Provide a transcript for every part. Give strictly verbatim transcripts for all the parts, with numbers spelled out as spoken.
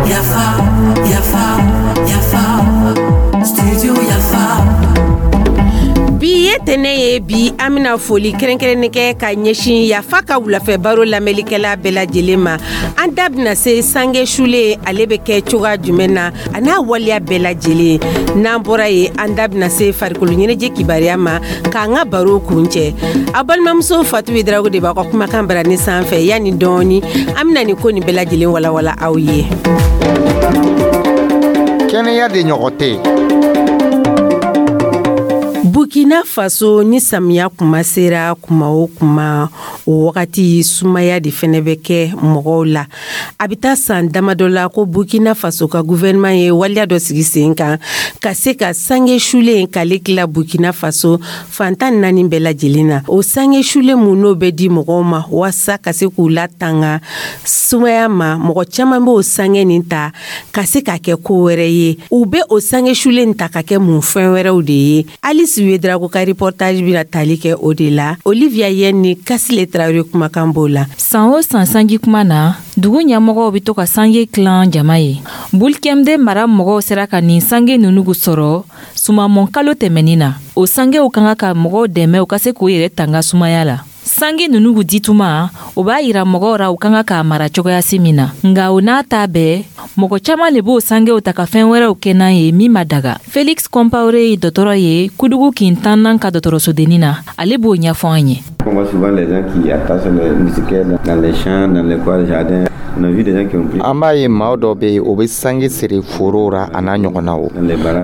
Yafa, yafa, yafa, studio Yafa. Bi ye tɛnɛ ye. Bi, an bɛna foli kɛrɛnkɛrɛnnen kɛ ka ɲɛsin Yafa ka wulafɛ baro lamɛnlikɛla bɛɛ lajɛlen ma. An da bɛna se sange sulen, ale bɛ kɛ cogoya jumɛn na, a n'a waleya bɛɛ lajɛlen. N'an bɔra yen, an da bɛna se farikolo ɲɛnajɛ kibaruya ma k'an ka baro kuncɛ. Aw balimamuso Fatu Darago de b'aw ka kumakan barani sanfɛ. Yanni dɔɔni, an bɛna nin ko nin bɛɛ lajɛlen walawala aw ye. Kɛnɛya de ɲɔgɔn tɛ. Burkina Faso, ni samiya kuma sera kuma o kuma, o wagati sumaya de fɛnɛ bɛ kɛ mɔgɔw la. A bɛ taa san damadɔ la ko Burkina Faso ka gouvernement ye waleya dɔ sigi sen kan ka se ka sange sulen k'ale tila Burkina Faso fantan naani bɛɛ lajɛlen na. O sange sulen mun, n'o bɛ di mɔgɔw ma waasa ka se k'u latanga sumaya ma, mɔgɔ caman b'o sange nin ta ka se k'a kɛ ko wɛrɛ ye. U bɛ o sange sulen ta ka kɛ mun fɛn wɛrɛw de ye? Alice Ouédraogo ka reportage bɛna tali kɛ o de la. Olivia Yen ni Kasile Traoré kumakan b'o la. San o san, sanji kuma na, dugu ɲɛmɔgɔw be to ka sange tilan jama ye. Boulkiemdé mara mɔgɔw sera ka nin sange nunu sɔrɔ sumamɔn kalo tɛmɛnin na. O sangew ka kan ka mɔgɔw dɛmɛ u ka se k'u yɛrɛ tanga sumaya la. Sange nunu dituma, o b'a yira mɔgɔw ra u ka kan k'a mara cogoyasi min na. Nga o n'a ta bɛɛ, mɔgɔ caaman le b'o sangew ta ka fɛɛn wɛrɛw kɛ n'a ye min ma daga. Felix Compaoré ye dɔtɔrɔ ye Koudougou kin tannan ka dɔtɔrɔsodennin na. Ale b'o ɲɛfɔ an ye. On voit souvent les gens qui attachent les moustiquaires dans les champs, dans les coins de jardin. On a vu des gens qui ont pris An b'a ye maa dɔ bɛ yen, o bɛ sange siri foro ra, a n'a ɲɔgɔnnaw.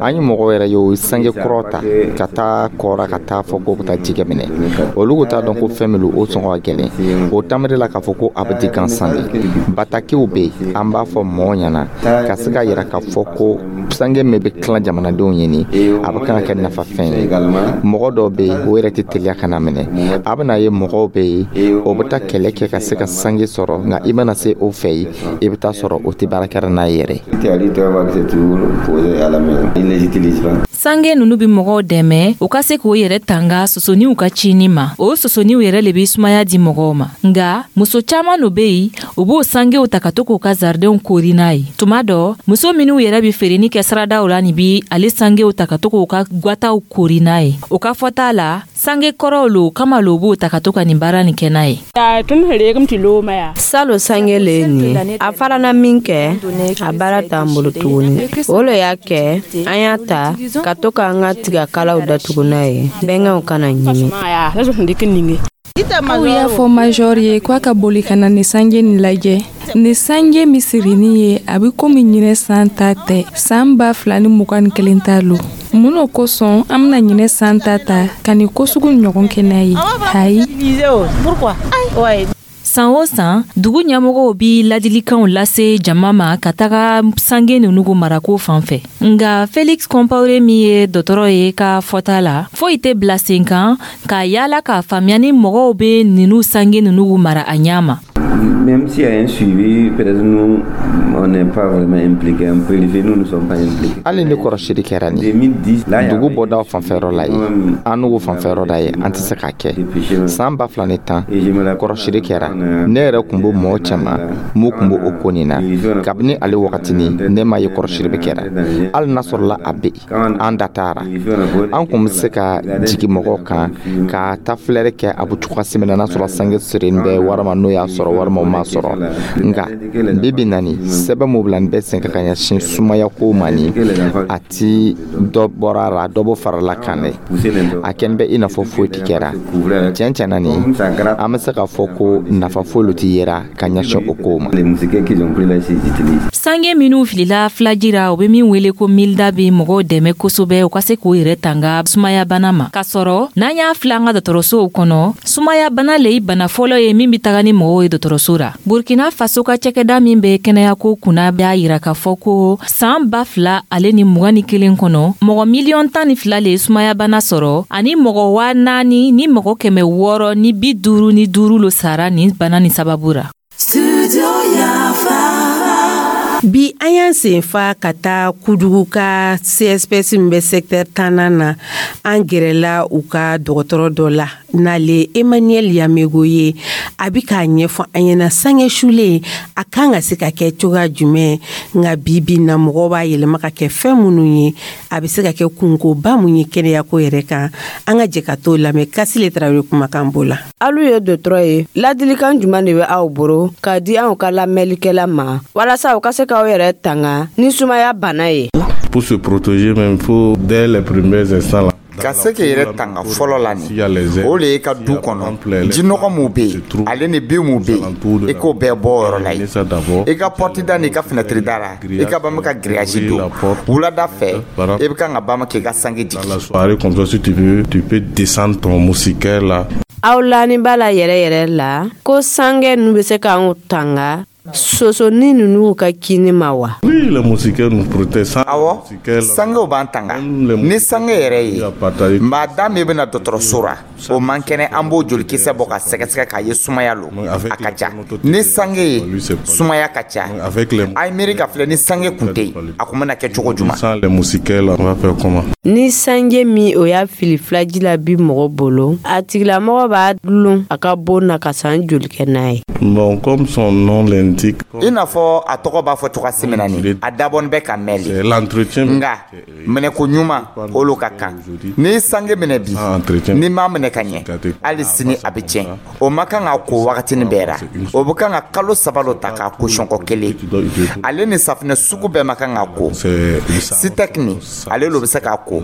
An ye mɔgɔw yɛrɛ ye, o ye sange kɔrɔ ta ka taa kɔra, ka taa fɔ k'o bɛ taa jɛgɛ minɛ. Olu t'a dɔn ko fɛn min don, o sɔngɔ ka gɛlɛn. O tamiri la k'a fɔ ko a bɛ di gansan de. Batakiw bɛ yen, an b'a fɔ mɔgɔw ɲɛna ka se ka yira k'a fɔ ko sange min bɛ tilan jamanadenw ye nin, a bɛ kan ka kɛ nafafɛn ye. Mɔgɔ dɔw bɛ yen, o yɛrɛ tɛ teliya ka na minɛ. A bɛna ye mɔgɔw bɛ yen, o bɛ taa kɛlɛ kɛ ka se ka sange sɔrɔ, nka i mana se o fɛ yen, i bɛ taa sɔrɔ o tɛ baara kɛra n'a ye yɛrɛ. C'est toujours posé à la maison. Ils ne les utilisent pas. Sange nunu be mɔgɔw dɛmɛ u ka se k'o yɛrɛ tanga sosoniw ka cini ma. O sosoniw yɛrɛ le be sumaya di mɔgɔw ma. Nga muso caaman lo be yen, u b'o sangew ta ka to k'u ka jardinw kori n'a ye. Tuma dɔ, muso minw yɛrɛ be feereni kɛ siradaw la nin bi ale sangew ta ka to k'u ka gwataw kori n'a ye. O ka fɔta la, sange kɔrɔw lo kama lo b'o ta ka to ka nin baara nin kɛ n'a ye. Salo sange le ye nin ye. A farana min kɛ, a baara t'an bolo tuguni. O le y'a kɛ an y'a ta ka to k'an ka tigakalaw datugu n'a ye, bɛnkɛw kana ɲimi. Aw y'a fɔ major ye k'a ka boli ka na nin sange nin lajɛ. Nin sange min sirinin ye, a bɛ komi ɲinɛ san ta tɛ, san ba fila ni mugan ni kelen ta lo. Mun n'o kosɔn an bɛna ɲinɛ san ta ta ka nin ko sugu ɲɔgɔn kɛ n'a ye? Ayi. San o san, dugu ɲɛmɔgɔw bi ladilikanw lase jama ma ka taga sange nunu marako fan fɛ. Nga Felix Compaoré min ye dɔtɔrɔ ye ka fɔta la, foyi tɛ bila sen kan k'a yala k'a faamuya ni mɔgɔw be ninu sange nunu mara a ɲa ma. Même s'il y a un suivi, peut-être nous, on n'est pas vraiment impliqués. On peut le faire, nous ne sommes pas impliqués. Hali ni kɔrɔsili kɛra nin dugu bɔdaw fanfɛyɔrɔ la ye, an n'u fanfɛyɔrɔ la ye, an tɛ se k'a kɛ. San ba fila ni tan, kɔrɔsili kɛra. Ne yɛrɛ kun b'o mɔgɔ caman mun kun b'o o ko nin na. Kabini ale wagatini, ne m'a ye kɔrɔsili bɛ kɛra. Hali n'a sɔrɔla a bɛ yen, an da taara, an kun bɛ se ka jigin mɔgɔw kan ka taa filɛri kɛ a bɛ cogoya min na, n'a sɔrɔ sange sirilen bɛ walima n'o y'a sɔrɔ walima o m'a sɔrɔ. Nka bi bi na nin, sɛbɛn mun bila nin bɛɛ sen kan ka ɲɛsin sumaya ko ma nin, a ti dɔ bɔra a la, dɔ bɔ farala kan dɛ. A kɛlen bɛ i n'a fɔ foyi ti kɛra. Tiɲɛ tiɲɛ na nin, an bɛ se k'a fɔ ko nafa foyi ti yera ka ɲɛsin o kow ma. Sange minw filila filaji ra, o be min wele ko milda, be mɔgɔw dɛmɛ kosɛbɛ u ka se k'u yɛrɛ tanga sumayabana ma. K'a sɔrɔ n'an y'a filɛ an ka dɔgɔtɔrɔsow kɔnɔ, sumayabana le ye bana fɔlɔ ye min be taga ni mɔgɔw ye dɔgɔtɔrɔso ra. Burkina Faso ka cakɛda min be kɛnɛyako kunna b'a yira k'a fɔ ko saan ba fila ale ni mugan ni kelen kɔnɔ, mɔgɔ miliyɔn tan ni fila le ye sumayabana sɔrɔ, ani mɔgɔ waa naani ni mɔgɔ kɛmɛ wɔɔrɔ ni bi duuru ni duuru lo sara nin bana nin sababu ra. Studio Yafa. Bi an y'an sen fa ka taa Kudugu ka C S P S min bɛ secteur tannan na. An gɛrɛla u ka dɔgɔtɔrɔ dɔ la, n'ale Emmanuel Yamego ye. A bi k'a ɲɛfɔ an ɲɛna sange sulen a kan ka se ka kɛ cogoya jumɛn. Nka bi bi na, mɔgɔw b'a yɛlɛma ka kɛ fɛn minnu ye, a bɛ se ka kɛ kunkoba mun ye kɛnɛyako yɛrɛ kan. An ka jɛ ka t'o lamɛn. Kasile Tarawele kumakan b'o la. Alu ye dɔgɔtɔrɔ ye, ladilikan jumɛn de bɛ aw bolo k'a di anw ka lamɛnlikɛla ma walasa u ka se k'aw yɛrɛ tanga ni sumaya bana ye? Pour se protéger même, il faut dès les premiers instants là. Ka se k'i yɛrɛ tanga fɔlɔ la, nin o le ye ka du kɔnɔ jinɔgɔ mun bɛ yen, ale ni bin mun bɛ yen, i k'o bɛɛ bɔ o yɔrɔ la yen. I ka porte da n'i ka fenêtre da la, i ka bama ka grillage don. Wulada fɛ, i bɛ kan ka bama k'i ka sange jigin. La soirée comme ça, si tu veux, tu peux descendre ton moustiquaire là. Aw lani b'a la yɛrɛ yɛrɛ la ko sange ninnu bɛ se k'anw tanga sosoni ninnu ka kini ma wa? Oui, les moustiquaires nous protègent. Sans Awɔ, sangew b'an tanga. Ni sange yɛrɛ ye, maa da min bɛna dɔgɔtɔrɔso ra, o man kɛnɛ, an b'o jolikisɛ bɔ ka sɛgɛsɛgɛ k'a ye sumaya lo. A ka ca ni sange ye, sumaya ka ca. A ye miiri ka filɛ, ni sange kun tɛ yen, a kun bɛna kɛ cogo jumɛn? Sans les moustiquaires là, on va faire comment? Ni sange min o y'a fili filaji la bi mɔgɔ bolo, a tigilamɔgɔ b'a dulon a ka bon na ka san joli kɛ n'a ye? Bon, comme son nom l'indique, I n'a fɔ a tɔgɔ b'a fɔ cogoya min na, nin a dabɔnin bɛ ka mɛn c'est l'entretien. Nka minɛko ɲuman, olu ka kan. N'i ye sange minɛ bi, n'i m'a minɛ ka ɲɛ, hali sini a bɛ tiɲɛ. O ma kan ka ko wagatinin bɛɛ ra. O bɛ kan ka kalo saba lo ta k'a ko siɲɛko kelen. Ale ni safunɛ sugu bɛɛ ma kan ka ko. Sitɛki ni ale lo bɛ se k'a ko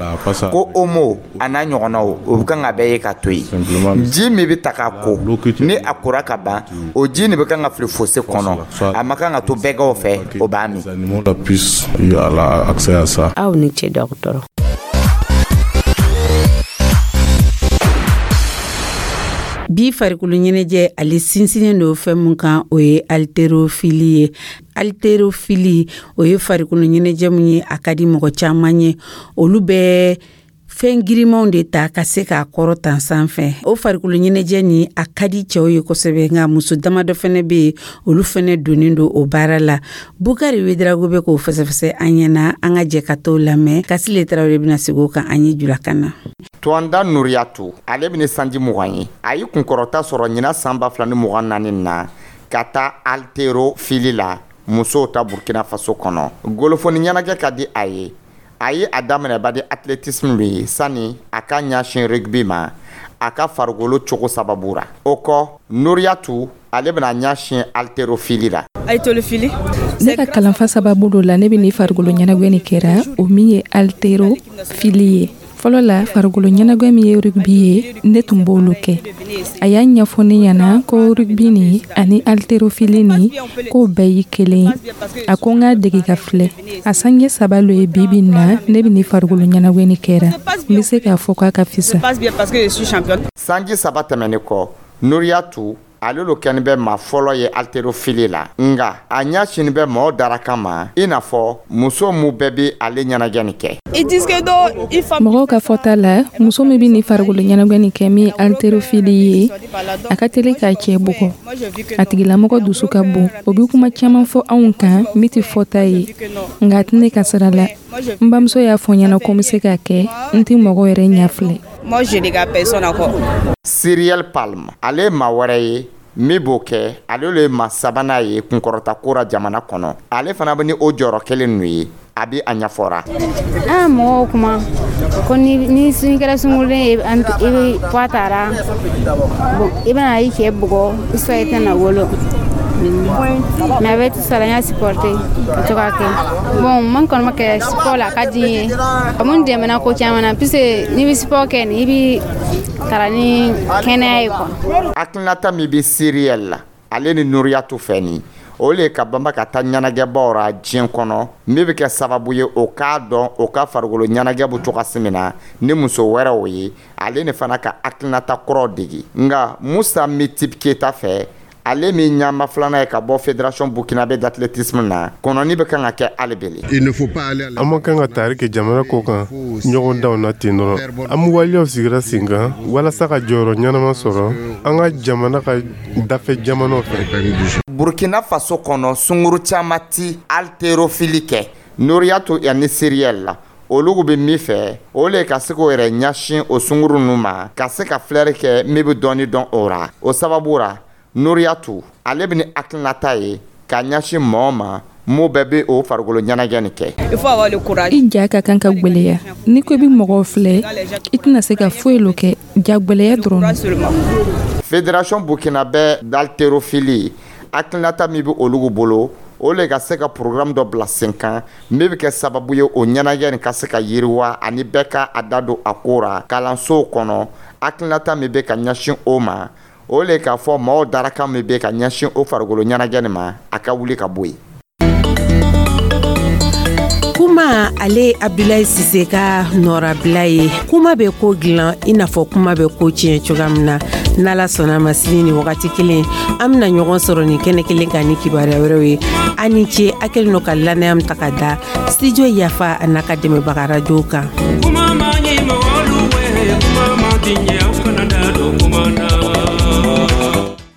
ko Omo a n'a ɲɔgɔnnaw, o bɛ kan ka bɛɛ ye ka to yen. Ji min bɛ ta k'a ko, ni a kora ka ban, o ji nin bɛ kan ka fili fosse kɔnɔ. A ma kan ka to bɛgɛw fɛ, o b'a min. Les animaux là puissent y avoir accès à ça. Aw ni ce, dɔgɔtɔrɔ. Bi farikolo ɲɛnajɛ, ale sinsinnen don fɛn mun kan, o ye haltérophilie ye. Haltérophilie, o ye farikolo ɲɛnajɛ mun ye, a ka di mɔgɔ caman ye. Olu bɛ fɛn girimanw de ta ka se k'a kɔrɔ tan sanfɛ. O farikolo ɲɛnajɛ ni a ka di cɛw ye kosɛbɛ, nka muso damadɔ fɛnɛ bɛ yen, olu fɛnɛ donnen don o baara la. Bukari Wedarago bɛ k'o fɛsɛfɛsɛ an ɲɛna. An ka jɛ ka t'o lamɛn. Kasile Tarawele bɛna segin o kan an ye julakan na. Tuwanda Nuriyatu, ale bɛ ni sanji mugan ye. A ye kunkɔrɔta sɔrɔ ɲinan san ba fila ni mugan naani na ka taa haltérophilie la musow ta Burkina Faso kɔnɔ. Golofoni ɲɛnajɛ ka di a ye. A ye a daminɛ badi athlétisme de ye sani a ka ɲɛsin rugby ma, a ka farikolo cogo sababu ra. O kɔ, Nuriyatu ale bɛna ɲɛsin haltérophilie la. Haltérophilie. Ne ka kalanfa sababu dɔ la, ne bɛ ni farikolo ɲɛnajɛ nin kɛra, o min ye haltérophilie ye. Fɔlɔ la, farikolo ɲɛnajɛ min ye rugby ye, ne tun b'olu kɛ. A y'a ɲɛfɔ ne ɲɛna ko rugby ni ani haltérophilie ni k'o bɛɛ ye kelen ye. A ko n k'a dege ka filɛ. A sange saba lo ye bi bi in na, ne bɛ ni farikolo ɲɛnajɛ nin kɛra. N bɛ se k'a fɔ k'a ka fisa. Sanji saba tɛmɛnen kɔ, Nuriyatu ale lo kɛni bɛ maa fɔlɔ ye haltérophilie la, nga a ɲɛsini bɛ mɔɔw daraka ma, i n'a fɔ muso mun bɛɛ bɛ ale ɲɛnajɛ nin kɛ. Mɔgɔw ka fɔta la, muso min bɛ ni farikolo ɲɛnajɛ nin kɛ min ye haltérophilie ye, a ka teli k'a cɛ bugɔ. A tigilamɔgɔ dusu ka bon. O bɛ kuma caman fɔ anw kan min tɛ fɔta ye, nka a tɛ ne ka sira la. N bamuso y'a fɔ n ɲɛna ko n bɛ se k'a kɛ, n tɛ mɔgɔ yɛrɛ ɲɛ filɛ. Cyrielle Palme, ale ye maa wɛrɛ ye min b'o kɛ. Ale le ye maa sabanan ye kunkɔrɔta ko ra jamana kɔnɔ. Ale fana bɛ ni o jɔyɔrɔ kelen ninnu ye. A bɛ a ɲɛfɔra. An mɔgɔw kuma ko ni ni kɛra sunkurulen ye, i bɛ poids tara, bon, i bɛna i cɛ bugɔ, soit i tɛna wolo. Mais avec tout ça, n y'a supporté ka to k'a kɛ. Bon, man kɔni ma kɛ sport la, a ka di n ye. A mun dɛmɛna ko caman na, puisque n'i bɛ sport kɛ nin, i bɛ tara ni kɛnɛya ye quoi. Hakilinata min bɛ Cyrielle la, ale ni Nuriyatu fɛ nin, o le ka banba ka taa ɲɛnajɛbaw ra diɲɛ kɔnɔ, min bɛ kɛ sababu ye o k'a dɔn o ka farikolo ɲɛnajɛ bɛ cogoya min na ni muso wɛrɛw ye, ale ni fana ka hakilinata kuraw degi. Nka Musa Mitip Keyita fɛ, ale min ɲama filanan ye ka bɔ Fédération burkinabé d'athlétisme na, kɔnɔni bɛ kan ka kɛ hali bele. An ma kan ka tari kɛ jamana ko kan ɲɔgɔn na ten dɔrɔn. An bɛ waleyaw sigira sen kan walasa ka jɔyɔrɔ ɲɛnama sɔrɔ an ka jamana ka dafɛ jamanaw fɛ. Burkina Faso kɔnɔ, sunguru caman ti haltérophilie kɛ. Noriyato ani Siriyɛl la, olugu bɛ min fɛ, o le ka se k'o yɛrɛ ɲɛsin o sunguru ninnu ma, ka se ka filɛri kɛ min bɛ dɔɔni dɔn o ra. O sababu ra, Noriyatu ale bɛ ni hakilinata ye ka ɲɛsin mɔgɔ ma mun bɛɛ bɛ o farikolo ɲɛnajɛ nin kɛ. I ja ka kan ka gwɛlɛya. N'i ko i bɛ mɔgɔw filɛ, i tɛna se ka foyi lo kɛ, ja gwɛlɛya dɔrɔn. Fédération burkinabè d'haltérophilie, hakilinata min bɛ olugu bolo, o le ka se ka programme dɔ bila sen kan min bɛ kɛ sababu ye o ɲɛnajɛ nin ka se ka yiriwa ani bɛɛ ka a da don a ko ra kalansow kɔnɔ. Hakilinata min bɛ ka ɲɛsin o ma, o le k'a fɔ maaw darakan min bɛ ka ɲɛsin o farikolo ɲɛnajɛ nin ma, a ka wuli ka bɔ yen. Kuma, ale Abdulayi Sise ka nɔrabila ye. Kuma bɛ ko dilan i n'a fɔ kuma bɛ ko tiɲɛ cogoya min na. N'Ala sɔnna ma, sini ni wagati kelen, an bɛna ɲɔgɔn sɔrɔ nin kɛnɛ kelen kan ni kibaruya wɛrɛw ye. A ni ce, a kɛlen don ka lannaya min ta ka da Studio Yafa a n'a ka dɛmɛbaga rajow kan. Kuma ma ɲi mɔgɔlu we, kuma ma diɲɛ, aw kana da don kuma na.